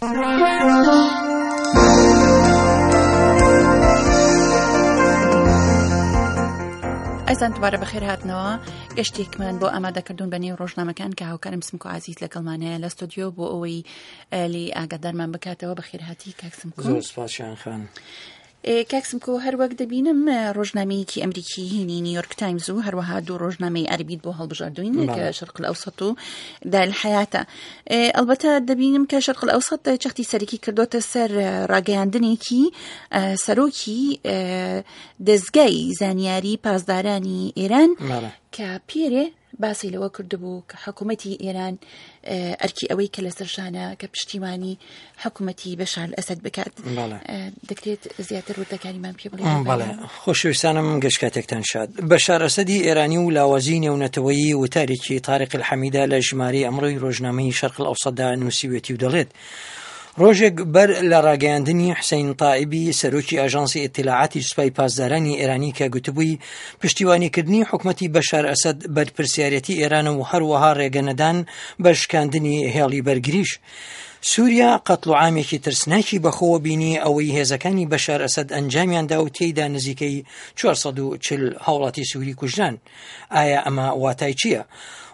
ئەزان دوبارە بەخێر هاتنەوە گەشتێکمان بۆ ئامادەکردون بە نێو ڕۆژنامەکان کە هاوکارم سمکۆ عزیز لەگەڵمانەیە لە ستۆدیۆ بۆ ئەوەی لی ئاگادارمان بکاتەوە بەخێرهاتی کاک سمکۆ زۆر سپاس شیان خان. کاک سمکۆ هەر وەک دەبینم ڕۆژنامەیەکی ئەمریکی هینی نیویۆرک تایمز و هەروەها دوو ڕۆژنامەی عەربیت بۆ هەڵبژاردوین کە شەرق الئەوسەط و دار الحیاتە ئەلبەتە دەبینم کە شەرق الئەوسەط چەختی سەرەکی کردوتە سەر ڕاگەیاندنێکی سەرۆکی دەزگای زانیاری پاسدارانی ئێران کە پێرێ باسی لەوە کردبوو کە حکوومەتی ئێران ئەرکی ئەوەی کە لەسەر شانە کە پشتیوانی حکوومەتی بەشار ئەسەد بکات دەکرێت زیاتر وردەکاریمان پێ بڵێ خۆشەویستانم گشت کاتێکتان شاد بەشار ئەسەدی ئێرانی و لاوازی نێونەتەوەیی وتارێکی تاریق الحەمیدە لە ژمارەی ئەمڕۆی ڕۆژنامەی شەرق الئەوسەتدا نووسیوێتی و دەڵێت ڕۆژێک بەر لە ڕاگەیاندنی حسین تائیبی سەرۆکی ئاژانسی ئیتلاعاتی سوپای پاسدارانی ئێرانی کە گوتبووی پشتیوانیکردنی حکومەتی بەشار ئەسەد بەرپرسیارەتی ئێرانە و هەروەها ڕێگەنەدان بە شکاندنی هێڵی بەرگریش. سووریا قەتڵ و عامێکی ترسناکی بەخۆوە بینی ئەوەی هێزەکانی بەشار ئەسەد ئەنجامیاندا و تێیدا نزیکەی 440 هاوڵاتی سووری کوژران. ئایا ئەمە واتای چییە؟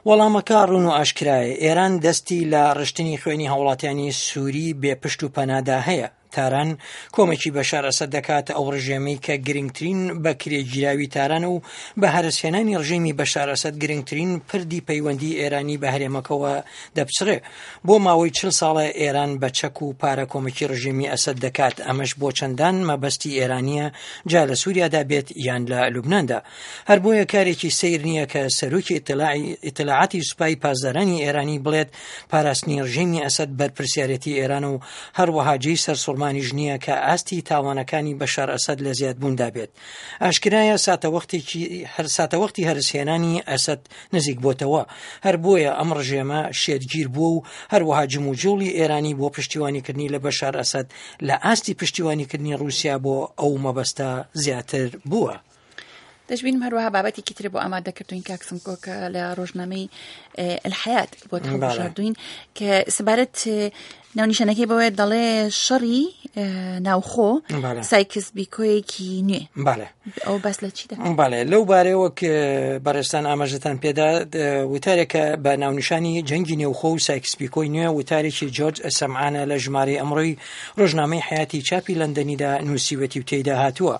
وەڵامەکە ڕوون و ئاشکرایە، ئێران دەستی لە ڕشتنی خوێنی هاوڵاتیانی سووری بێ پشت و پەنادا هەیە. تاران کۆمەکی بەشار ئەسەد دەکات، ئەو ڕژێمەی کە گرنگترین بەکرێگیراوی تارانە و بە هەرەسهێنانی ڕژێمی بەشار ئەسەد گرنگترین پردی پەیوەندی ئێرانی بە هەرێمەکەوە دەپچڕێ. بۆ ماوەی چل ساڵە ئێران بە چەک و پارە کۆمەکی ڕژێمی ئەسەد دەکات، ئەمەش بۆ چەندان مەبەستی ئێرانییە جا لە سووریادا بێت یان لە لوبناندا. هەر بۆیە کارێکی سەیر نییە کە سەرۆکی ئیتلاعاتی سوپای پاسدارانی ئێرانی بڵێت پاراستنی ڕژێمی ئەسەد بەرپرسیارێتی ئێرانە و هەروەها جێی سەرسوڕمانیش نییە کە ئاستی تاوانەکانی بەشار ئەسەد لە زیادبووندا بێت. ئاشکرایە ساتەوەختێکی هەر ساتەوەختی هەرسهێنانی ئەسەد نزیک بۆتەوە، هەر بۆیە ئەم ڕژێمە شێتگیر بووە و هەروەها جموجوڵی ئێرانی بۆ پشتیوانیکردنی لە بەشار ئەسەد لە ئاستی پشتیوانیکردنی ڕووسیا بۆ ئەو مەبەستە زیاتر بووە. دەشبینم هەروەها بابەتێکی تر بۆ ئامادەکردوین کاک سمکۆ کە لە ڕۆژنامەی الحیات بۆ هەڵبژاردوین کە سەبارەت ناونیشانەکەی بەوەیە دەڵێ شەڕی ناوخۆ سایکس بیکۆیەکی نوێ ئەو باس لە چی بەڵێ لەو بارەیەوە بەڕێستان ئاماژەتان پێدا وتارێکە بە ناونیشانی جەنگی نێوخۆ و سایکس بیکۆی نوێ وتارێکی جۆرج سەمعانە لە ژمارەی ئەمڕۆی ڕۆژنامەی حیاتی چاپی لەندەنیدا نووسیوەتی و تێیدا هاتووە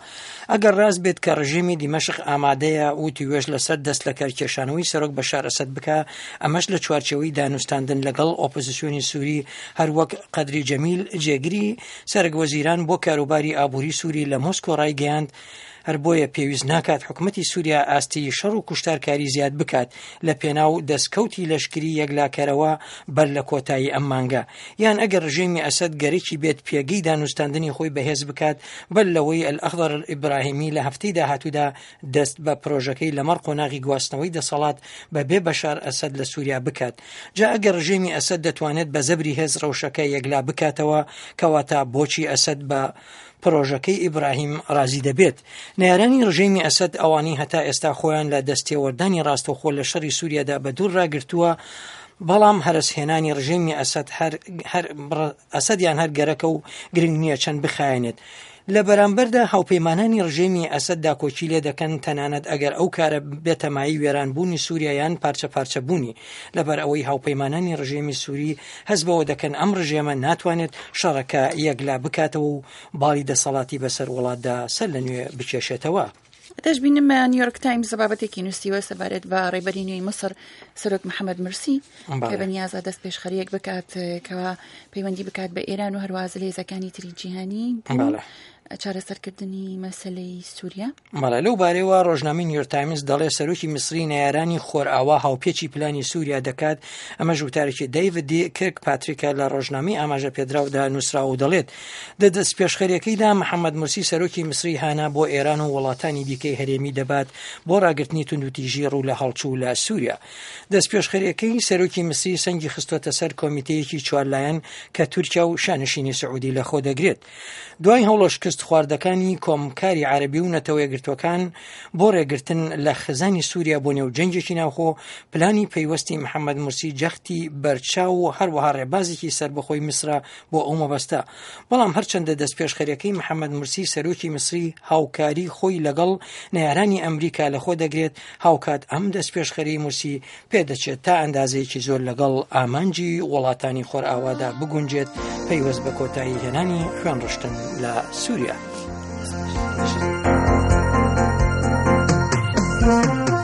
ئەگەر ڕاست بێت کە ڕژێمی دیمەشق ئامادەیە وتووێژ لەسەر دەست لەکارکێشانەوەی سەرۆک بەشار ئەسەد بکا، ئەمەش لە چوارچێوەی دانوستاندن لەگەڵ ئۆپۆزسیۆنی سووری، هەروەک قەدری جەمیل جێگری سەرەک وەزیران بۆ کاروباری ئابووری سووری لە مۆسکۆ ڕایگەیاند، هەر بۆیە پێویست ناکات حکومەتی سووریا ئاستی شەڕ و کوشتارکاری زیاد بکات لە پێناو دەستکەوتی لەشکری یەکلاکەرەوە بەر لە کۆتایی ئەم مانگە. یان ئەگەر ڕژێمی ئەسەد گەرەکی بێت پێگەی دانوستاندنی خۆی بەهێز بکات بەر لەوەی ئەلئەخضەر ئیبراهیمی لە هەفتەی داهاتوودا دەست بە پرۆژەکەی لەمەڕ قۆناغی گواستنەوەی دەسەڵات بە بێ بەشار ئەسەد لە سووریا بکات. جا ئەگەر ڕژێمی ئەسەد دەتوانێت بە زەبری هێز ڕەوشەکە یەکلا بکاتەوە کەواتە بۆچی ئەسەد بە پرۆژەکەی ئیبراهیم ڕازی دەبێت؟ نەیارانی ڕژێمی ئەسەد ئەوانەی هەتا ئێستا خۆیان لە دەستێوەردانی ڕاستەوخۆ لە شەڕی سووریادا بەدوور ڕاگرتووە، بەڵام هەرەسهێنانی ڕژێمی ئەسەد هەر هەر ئەسەدیان هەر گەرەکە و گرنگ نییە چەند بخایەنێت. لە بەرامبەردا هاوپەیمانانی ڕژێمی ئەسەد داکۆکی لێ دەکەن تەنانەت ئەگەر ئەو کارە بێتە مایەی وێرانبوونی سووریا یان پارچە پارچەبوونی، لەبەر ئەوەی هاوپەیمانانی ڕژێمی سووری هەست بەوە دەکەن ئەم ڕژێمە ناتوانێت شەڕەکە یەکلا بکاتەوە و باڵی دەسەڵاتی بەسەر وڵاتدا سەر لە نوێ بکێشێتەوە. دەشبینم نیویۆرک تایمز بابەتێکی نووسیوە سەبارەت بە ڕێبەری نوێی میسر سەرۆک محەممەد مرسی کە بەنیازە دەست پێشخەریەک بکات کەوا پەیوەندی بکات بە ئێران و هەرواز لە هێزەکانی تری جیهانی چارەسەرکردنی مەسلەی سووریا. بەڵێ لەو بارەیەوە ڕۆژنامەی نیویۆرک تایمز دەڵێ سەرۆکی میسری نەیارانی خۆرئاوا هاوپێچی پلانی سووریا دەکات ئەمەش وتارێکی دەیڤد دی کرک پاتریکە لە ڕۆژنامەی ئاماژە پێدراودا نووسراوە و دەڵێت لە دەستپێشخەریەکەیدا محەممەد مورسی سەرۆکی میسری هانا بۆ ئێران و وڵاتانی دیکەی هەرێمی دەبات بۆ ڕاگرتنی توندوتیژی ڕوو لە هەڵچوو لە سووریا. دەستپێشخەریەکەی سەرۆکی میسری سەنگی خستۆتە سەر کۆمیتەیەکی چوارلایەن کە تورکیا و شانشینی سعودی لەخۆ دەگرێت. دوای هەوڵە شکست شکستخواردەکانی کۆمکاری عەرەبی و نەتەوە یەکگرتووەکان بۆ ڕێگرتن لە خزانی سووریا بۆ نێو جەنگێکی ناوخۆ، پلانی پەیوەستی محەمەد مورسی جەختی بەرچاو و هەروەها ڕێبازێکی سەربەخۆی میسرە بۆ ئەو مەبەستە. بەڵام هەرچەندە دەستپێشخەریەکەی محەمەد مورسی سەرۆکی میسری هاوکاری خۆی لەگەڵ نەیارانی ئەمریکا لەخۆ دەگرێت، هاوکات ئەم دەستپێشخەریەی مورسی پێدەچێت تا ئەندازەیەکی زۆر لەگەڵ ئامانجی وڵاتانی خۆرئاوادا بگونجێت پەیوەست بە کۆتایی هێنانی خوێنڕشتن لە سووریا. Thank you.